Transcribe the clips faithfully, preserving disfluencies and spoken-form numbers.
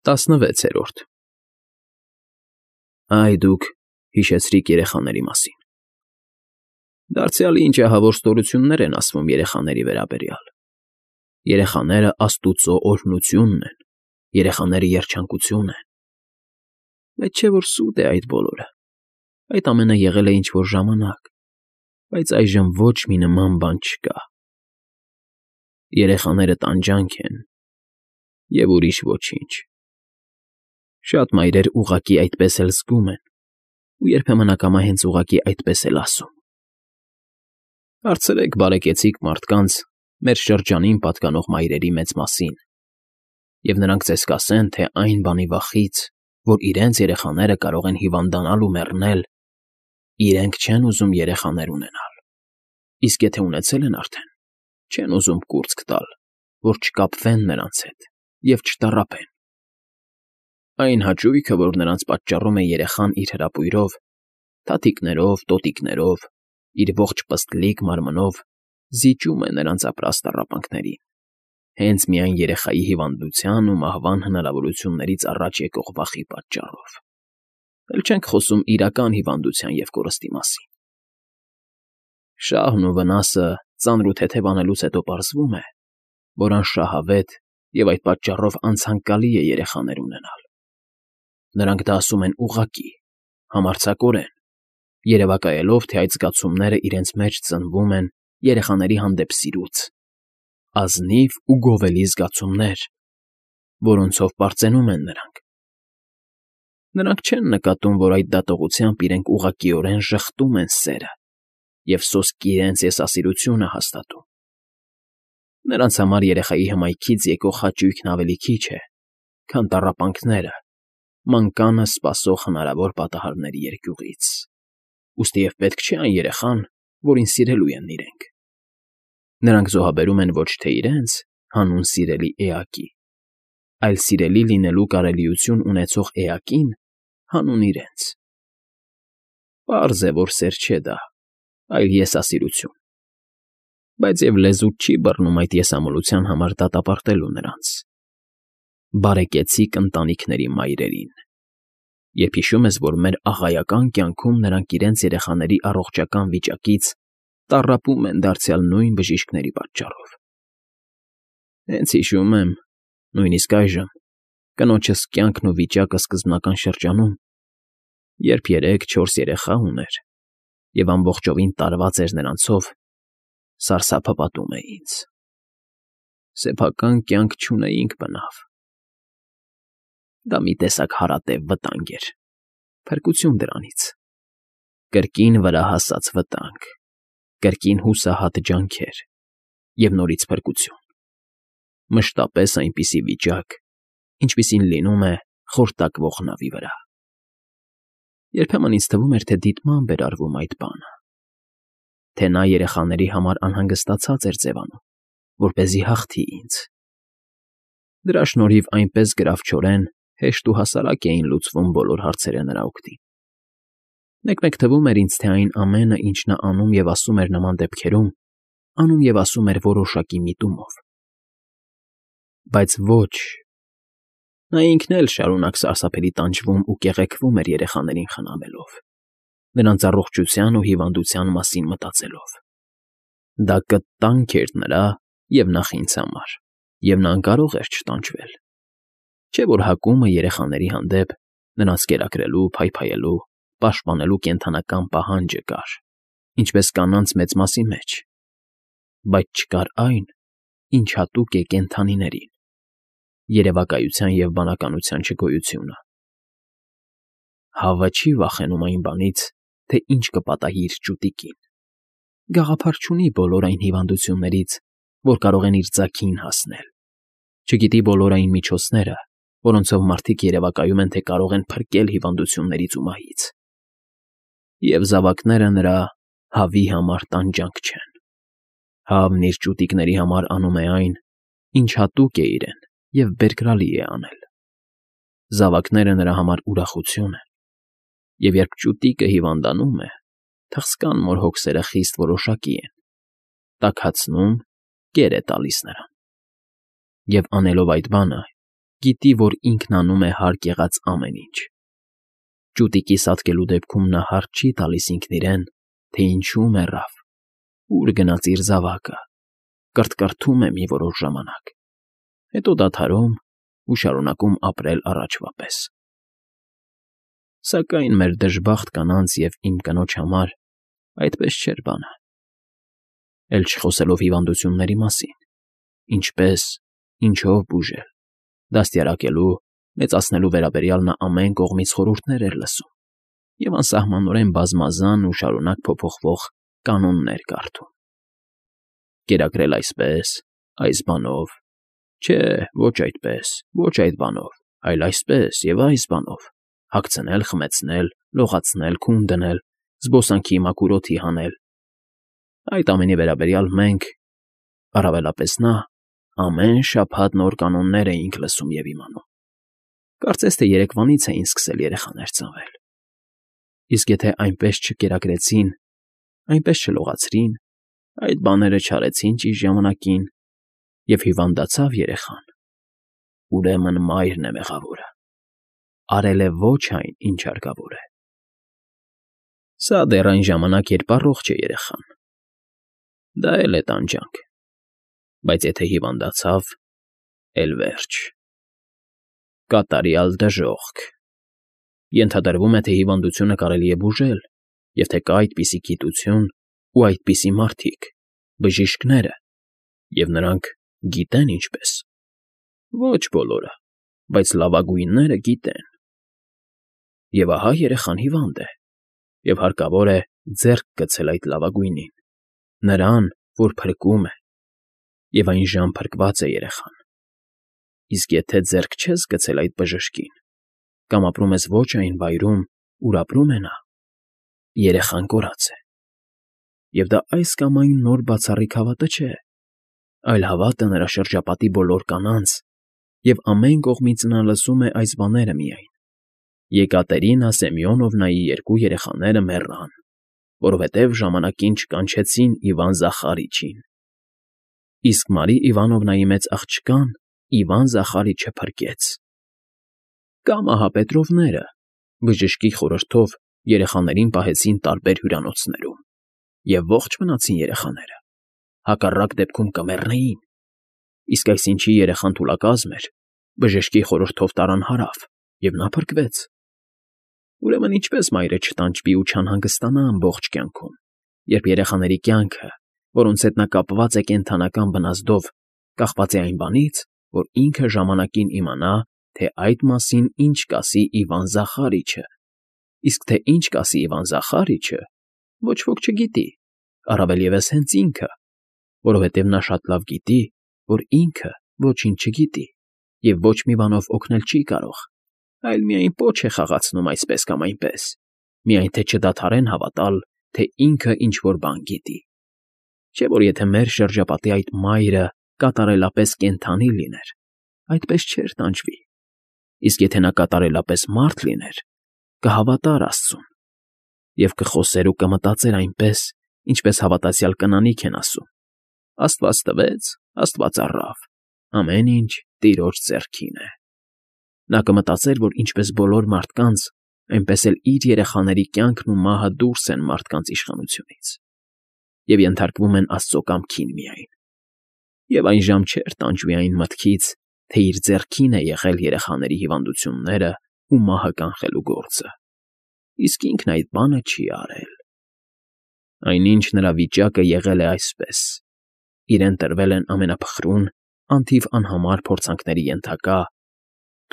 ՏԱՍՆՎԵՑԵՐՈՐԴ Այ դուք հիշեցրիք երեխաների մասին… Դարձյալ ինչ ահավոր ստորություններ են ասվում երեխաների վերաբերյալ… Երեխաները աստուծո օրհնությունն են, երեխաները երջանկություն են… Բայց չէ՞ որ սուտ է այդ բոլորը… Այդ ամենը եղել է ինչ֊որ ժամանակ, բայց այժմ ոչ մի նման բան չկա… Երեխաները տանջանք են և ուրիշ ոչինչ… Շատ մայրեր ուղղակի այդպես էլ զգում են ու երբեմն ակամա հենց ուղղակի այդպես էլ ասում… Հարցրեք բարեկեցիկ մարդկանց մեր շրջանին պատկանող մայրերի մեծ մասին, և նրանք ձեզ կասեն, թե այն բանի վախից, որ իրենց երեխաները կարող են հիվանդանալ ու մեռնել, իրենք չեն ուզում երեխաներ ունենալ, իսկ եթե ունեցել են արդեն, չեն ուզում կուրծք տալ, որ չկապվեն նրանց հետ և չտառապեն… Այն հաճույքը, որ նրանց պատճառում է երեխան իր հրապույրով, թաթիկներով, տոտիկներով, իր ողջ պստլիկ մարմնով զիջում է նրանց ապրած տառապանքներին, հենց միայն երեխայի հիվանդության ու մահվան հնարավորություններից առաջ եկող վախի պատճառով… Էլ չենք խոսում իրական հիվանդության և կորստի մասին… Շահն ու վնասը ծանր ու թեթև անելուց հետո պարզվում է, որ անշահավետ և այդ պատճառով անցանկալի է երեխաներ ունենալ… Նրանք դա ասում են ուղղակի, համարձակորեն, երևակայելով, թե այդ զգացումները իրենց մեջ ծնվում են երեխաների հանդեպ սիրուց, ազնիվ ու գովելի զգացումներ, որոնցով պարծենում են նրանք… Նրանք չեն նկատում, որ այդ դատողությամբ իրենք ուղղակիորեն ժխտում են սերը և սոսկի իրենց եսասիրությունը հաստատում… Նրանց համար երեխայի հմայքից եկող հաճույքն ավելի քիչ է, քան տառապանքները, մանկանը սպասող հնարավոր պատահարների երկյուղից… Ուստիև պետք չէ այն երեխան, որին սիրելու են իրենք… Նրանք զոհաբերում են ոչ թե իրենց հանուն սիրելի էակի, այլ սիրելի լինելու կարելիություն ունեցող էակին հանուն իրենց… Պարզ է, որ սեր չէ դա, այլ եսասիրություն… Բայց և լեզուդ չի բռնում այդ եսամոլության համար դատապարտելու նրանց… Բարեկեցիկ ընտանիքների մայրերին… Երբ հիշում ես, որ մեր աղայական կյանքում նրանք իրենց երեխաների առողջական վիճակից տառապում են դարձյալ նույն բժիշկների պատճառով… Հենց հիշում եմ, նույնիսկ այժմ, կնոջս կյանքն ու վիճակը սկզբնական շրջանում, երբ երեք֊չորս երեխա ուներ և ամբողջովին տարված էր նրանցով, սարսափը պատում է ինձ… Սեփական կյանք չունեինք բնավ… Դա մի տեսակ հարատև վտանգ էր, փրկություն դրանից… Կրկին վրա հասած վտանգ, կրկին հուսահատ ջանքեր և նորից փրկություն… Մշտապես այնպիսի վիճակ, ինչպիսին լինում է խորտակվող նավի վրա… Երբեմն ինձ թվում էր, թե դիտմամբ էր արվում այդ բանը, թե նա երեխաների համար անհանգստացած էր ձևանում, որպեսզի հաղթի ինձ… Դրա շնորհիվ այնպես գրավչորեն, հեշտ ու հասարակ էին լուծվում բոլոր հարցերը նրա օգտին… Մեկ֊մեկ թվում էր ինձ, թե այն ամենը, ինչ նա անում և ասում էր նման դեպքերում, անում և ասում էր որոշակի միտումով… Բայց ոչ… Նա ինքն էլ շարունակ սարսափելի տանջվում ու կեղեքվում էր երեխաներին խնամելով, նրանց առողջության ու հիվանդության մասին մտածելով… Դա կտանք էր նրա և նախ ինձ համար, և նա անկարող էր չտանջվել… Չէ՞ որ հակումը երեխաների հանդեպ, նրանց կերակրելու, փայփայելու, պաշտպանելու կենդանական պահանջը կար, ինչպես կանանց մեծ մասի մեջ… Բայց չկար այն, ինչ հատուկ է կենդանիներին… Երևակայության և բանականության չգոյությունը… Հավը չի վախենում այն բանից, թե ինչ կպատահի իր ճուտիկին… Գաղափար չունի բոլոր այն հիվանդություններից, որ կարող են իր ձագին հասնել… Չգիտի բոլոր այն միջոցները, որոնցով մարդիկ երևակայում են, թե կարող են փրկել հիվանդություններից ու մահից… Եվ զավակները նրա հավի համար տանջանք չեն… Հավն իր ճուտիկների համար անում է այն, ինչ հատուկ է իրեն և բերկրալի է անել… Զավակները նրա համար ուրախություն են… Եվ երբ ճուտիկը հիվանդանում է, թխսկան մոր հոգսերը խիստ որոշակի են, տաքացնում, կեր է տալիս նրան… Եվ անելով այդ բանը, գիտի, որ ինքն անում է հարկ եղած ամեն ինչ։ Ճուտիկի սատկելու դեպքում նա հարկ չի տալիս ինքն իրեն, թե ինչու մեռավ, ուր գնաց իր զավակը, կրթկրթում է մի որոշ ժամանակ, հետո դադարում ու շարունակում ապրել առաջվա պես։ Սակայն մեր դժբախտ կանանց և իմ կնոջ համար այդպես չէր բանը։ Էլ չխոսելով հիվանդությունների մասին, ինչպես, ինչով բուժել, դաստիարակելու, մեծացնելու վերաբերյալ նա ամեն կողմից խորհուրդներ էր լսում և անսահմանորեն բազմազան ու շարունակ փոփոխվող կանոններ կարդում։ Կերակրել այսպես, այս բանով, չէ, ոչ այդպես, ոչ այդ բանով, այլ այսպես և այս բանով, հագցնել, խմեցնել, լողացնել, քուն դնել, զբոսանքի մաքուր օդի հանել։ Այդ ամենի վերաբերյալ մենք, առավելապես նա, ամեն շաբաթ նոր կանոններ էինք լսում և իմանում։ Կարծես թե երեկվանից էին սկսել երեխաներ ծնվել։ Իսկ եթե այնպես չկերակրեցին, այնպես չլողացրին, այդ բաները չարեցին ճիշտ ժամանակին, և հիվանդացավ երեխան, ուրեմն մայրն է մեղավորը, արել է ոչ այն, ինչ հարկավոր է։ Սա դեռ այն ժամանակ, երբ առողջ է երեխան։ Դա էլ է տանջանք, բայց եթե հիվանդացավ, էլ վերջ։ Կատարյալ դժոխք։ Ենթադրվում է, թե հիվանդությունը կարելի է բուժել, և թե կա այդպիսի գիտություն ու այդպիսի մարդիկ, բժիշկները, և նրանք գիտեն ինչպես։ Ոչ բոլորը, բայց լավագույնները գիտեն։ Եվ ահա երեխան հիվանդ է, և հարկավոր է ձեռք գցել այդ լավագույնին, նրան, որ փրկում է, և այժմ փրկված է երեխան։ Իսկ եթե ձեռք չես գցել այդ բժշկին, կամ ապրում ես ոչ այն վայրում, ուր ապրում է նա, երեխան կորած է։ Եվ դա այս կամ այն նոր բացառիկ հավատը չէ, այլ հավատը նրա շրջապատի բոլոր կանանց, և ամեն կողմից նա լսում է այս բաները միայն. Եկատերինա Սեմյոնովնայի երկու երեխաները մեռան, որովհետև ժամանակին չկանչեցին Իվան Զախարիչին, իսկ Մարի Իվանովնայի մեծ աղջկան Իվան Զախարիչը փրկեց։ Կամ ահա Պետրովները բժշկի խորհրդով երեխաներին պահեցին տարբեր հյուրանոցներում, և ողջ մնացին երեխաները, հակառակ դեպքում կմեռնեին, իսկ այսինչի երեխան թուլակազմ էր, բժշկի խորհրդով տարան հարավ, և նա փրկվեց։ Ուրեմն ինչպե՞ս մայրը չտանջվի ու չանհանգստանա ամբողջ կյանքում, երբ երեխաների կյանքը, որոնց հետ նա կապված է կենդանական բնազդով, կախված է այն բանից, որ ինքը ժամանակին իմանա, թե այդ մասին ինչ կասի Իվան Զախարիչը, իսկ թե ինչ կասի Իվան Զախարիչը, ոչ ոք չգիտի, առավել ևս հենց ինքը, որովհետև նա շատ լավ գիտի, որ ինքը ոչինչ չգիտի և ոչ մի բանով օգնել չի կարող, այլ միայն պոչ է խաղացնում այսպես կամ այնպես, միայն թե չդադարեն հավատալ, թե ինքը ինչ֊որ բան գիտի։ Չէ՞ որ եթե մեր շրջապատի այդ մայրը կատարելապես կենդանի լիներ, այդպես չէր տանջվի, իսկ եթե նա կատարելապես մարդ լիներ, կհավատար աստծուն և կխոսեր ու կմտածեր այնպես, ինչպես հավատացյալ կնանիք են ասում. «Աստված տվեց, Աստված առավ, ամեն ինչ Տիրոջ ձեռքին է»։ Նա կմտածեր, որ ինչպես բոլոր մարդկանց, այնպես էլ իր երեխաների կյանքն ու մահը դուրս են մարդկանց իշխանությունից և ենթարկվում են աստծո կամքին միայն, և այժմ չէր տանջվի այն մտքից, թե իր ձեռքին է եղել երեխաների հիվանդությունները ու մահը կանխելու գործը, իսկ ինքն այդ բանը չի արել։ Այնինչ նրա վիճակը եղել է այսպես. իրեն տրվել են ամենափխրուն, անթիվ անհամար փորձանքների ենթակա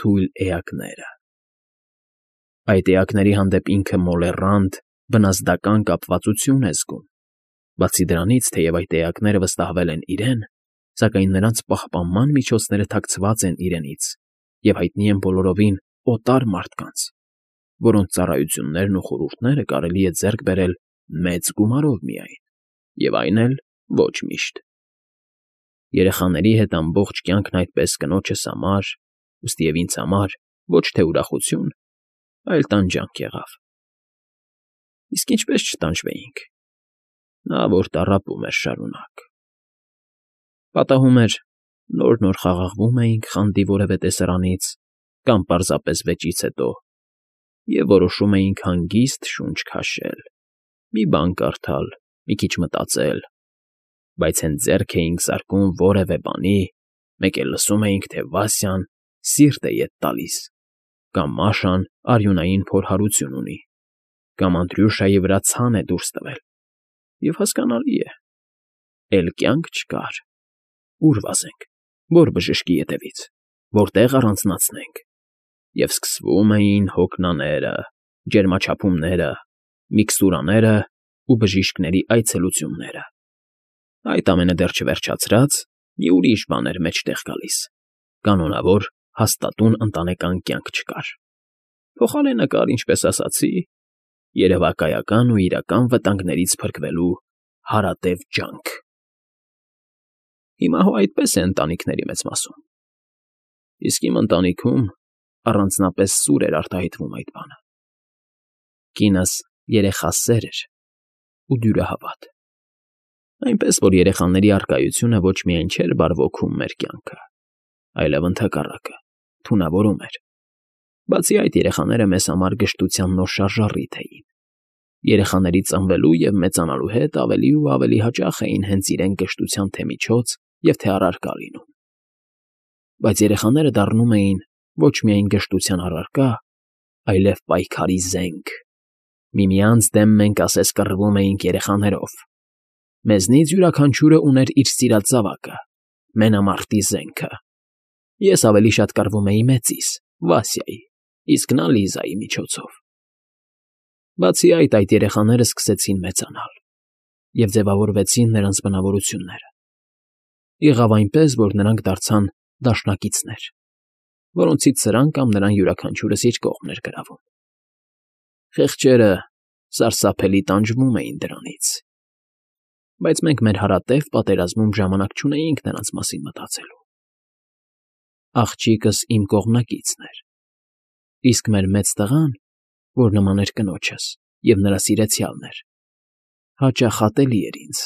թույլ էակները։ Այդ էակների հանդեպ ինքը մոլեռանդ, բնազդական կապվածություն է զգում, բացի դրանից, թեև այդ էակները վստահվել են իրեն, սակայն նրանց պահպանման միջոցները թաքցված են իրենից և հայտնի են բոլորովին օտար մարդկանց, որոնց ծառայություններն ու խորհուրդները կարելի է ձեռք բերել մեծ գումարով միայն, և այն էլ ոչ միշտ։ Երեխաների հետ ամբողջ կյանքն այդպես կնոջս համար, ուստի և ինձ համար ոչ թե ուրախություն, այլ տանջանք եղավ։ Իսկ ինչպես չտանջվեինք։ Նա, որ տառապում էր շարունակ, պատահում էր, Նոր֊նոր խաղաղվում էինք խանդի որևէ տեսարանից կամ պարզապես վեճից հետո և որոշում էինք հանգիստ շունչ քաշել, մի բան կարդալ, մի քիչ մտածել, բայց հենց ձեռք էինք զարկում որևէ բանի, մեկ էլ լսում էինք, թե Վասյան սիրտ է ետ տալիս, կամ Մաշան արյունային փորհարություն ունի, կամ Անդրյուշայի վրա ցան է դուրս տվել, և, հասկանալի է, էլի կյանք չկար, ուր վազենք, ո՞ր բժշկի ետևից, որտե՞ղ առանձնացնենք, և սկսվում էին հոգնաները, ջերմաչափումները, միքստուրաներն ու բժիշկների այցելությունները, այդ ամենը դեռ չվերջացրած, մի ուրիշ բան էր մեջտեղ գալիս. կանոնավոր հաստատուն ընտանեկան կյանք չկար, փոխարենը կար, ինչպես ասացի, երևակայական ու իրական վտանգներից փրկվելու հարատև ջանք… Հիմա հո այդպես է ընտանիքների մեծ մասում, իսկ իմ ընտանիքում առանձնապես սուր էր արտահայտվում այդ բանը. կինս երեխասեր էր ու դյուրահավատ, այնպես որ երեխաների առկայությունը ոչ միայն չէր բարվոքում մեր կյանքը, այլև, ընդհակառակը, թունավորում էր, բացի այդ, երեխաները մեզ համար գժտության նոր շարժառիթ էին, երեխաների ծնվելու և մեծանալու հետ ավելի ու ավելի հաճախ էին հենց իրենք գժտության թե միջոց և թե առարկա լինում, բայց երեխաները դառնում էին ոչ միայն գժտության առարկա, այլև պայքարի զենք, միմյանց դեմ մենք ասես կռվում էինք երեխաներով, մեզնից յուրաքանչյուրը ուներ իր սիրած զավակը, մենամարտի զենքը, ես ավելի շատ կռվում էի մեծիս՝ Վասյայի, իսկ նա Լիզայի միջոցով… Բացի այդ, այդ երեխաները սկսեցին մեծանալ, և ձևավորվեցին նրանց բնավորությունները, եղավ այնպես, որ նրանք դարձան դաշնակիցներ, որոնցից սրան կամ նրան յուրաքանչյուրս իր կողմն էր գրավում… Խեղճերը սարսափելի տանջվում էին դրանից, բայց մենք մեր հարատև պատերազմում ժամանակ չունեինք նրանց մասին մտածելու… Աղջիկս իմ կողմնակիցն էր, իսկ մեր մեծ տղան, որ նման էր կնոջս և նրա սիրեցյալն էր, հաճախ ատելի էր ինձ,